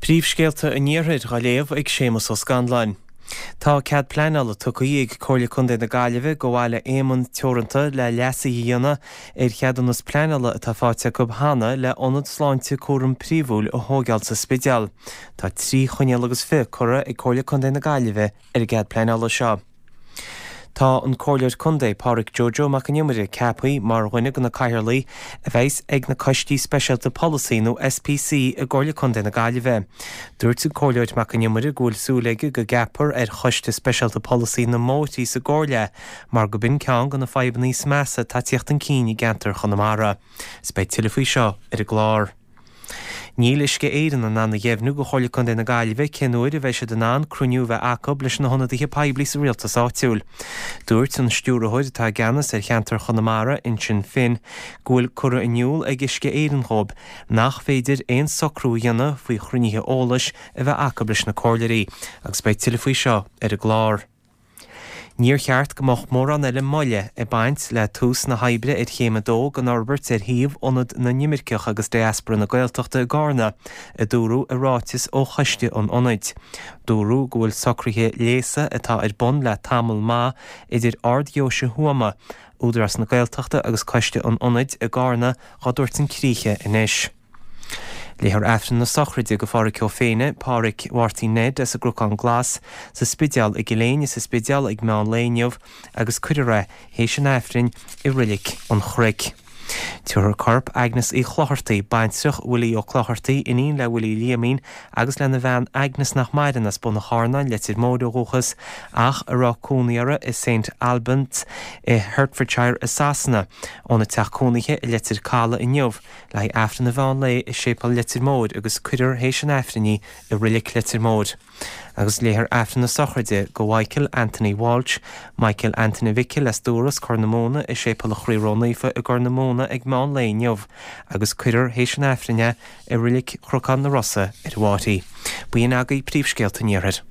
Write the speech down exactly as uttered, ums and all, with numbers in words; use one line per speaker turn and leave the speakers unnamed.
Príomhscéalta an Iarthair á léamh ag Séamus Ó Scanláin. Tá cead pleanála tugtha ag Comhairle Contae na Gaillimhe go Bhaile Éamonn Teoranta le leasuithe a dhéanamh ar cheadúnas pleanála atá faighte acu cheana le ionad sláinte cúram príomhúil a thógáil sa Spidéal. Tá trí choinníoll agus fiche curtha ag Comhairle Contae na Gaillimhe ar an gcead pleanála seo. Tá an Comhairleoir Contae Pádraig Joe Joe Mac an Iomaire ceaptha mar dhuine de na cathaoirligh a bheas ag na coistí speisialta polasaí nó SPC i gComhairle Contae na Gaillimhe. Dúirt an Comhairleoir Mac an Iomaire go bhfuil súil aige go gceapfar ar choiste speisialta polasaí na mbóithrí sa gComhairle mar go b'in ceann de na fadhbanna is measa atá ag teacht chun cinn i gceantar Chonamara. Is beidh tuilleadh faoi seo ar an gclár. Níl Uisce Éireann in ann a dheimhniú go Chomhairle Contae na Gaillimhe cén uair a bheidh siad in ann cruinniú a bheith acu leis na hionadaithe poiblí sa rialtas áitiúil. Dúirt an stiúrthóir atá i gceannas ar cheantar Chonamara Uinseann Finn go bhfuil curtha in iúl ag Uisce Éireann dóibh nach féidir aon socrú a dhéanamh faoi chruinnithe eolais a bheith acu leis na comhairleoirí, agus beidh tuilleadh faoi seo ar an gclár. Níor cheart go mbeadh mórán eile moille ag baint le tús na hoibre ar chéim a dó den fhorbairt ar shuíomh Ionad na nImirceach agus Diaspora na Gaeltachta i gCarna, a dúradh i ráiteas ó choiste an ionaid. Dúradh go bhfuil socruithe léasa atá ar bun le tamall maith idir Ard-Deoise Thuama, Údarás na Gaeltachta agus Coiste an Ionaid i gCarna á dtabhairt chun críche anois. Léifear Aifreann na sochraide go Phádhraic Ó Féinne, Pádhraic Mháirtín Ned as an gCnocán Glas sa Spidéal i gCill Éinne sa Spidéal ag meán lae inniu agus cuirfear é théis an Aifrinn i Reilig an Chnoic. Tabharfar corp Agnes Uí Chlochartaigh, baintreach Willie Ó Clochartaigh, iníon le Willie Liamín agus lena bhean Agnes nach maireann as Bun an Charnáin, Leitir Móir ó dhúchas, ach a raibh cónaí orthu i St Albans i Hertfordshire i Sasana, óna teach cónaithe i Leitir Caladh inniu, le haghaidh Aifreann an mheán lae i Séipéal Leitir Móir agus cuirfear théis an Aifrinn í i Reilig Leitir Móir. Agus léifear Aifreann na sochraide go Mhichael Anthony Walsh, Michael Anthony Mhicil as Dúras Corr na Móna i Séipéal an Chroí Ró-Naofa i gCorr na Móna ag meán lae inniu, agus cuirfear théis an Aifrinn é i Reilig Chnocán na Rosa ar an bhFáirche. B'in agaibh príomhscéalta an Iarthair.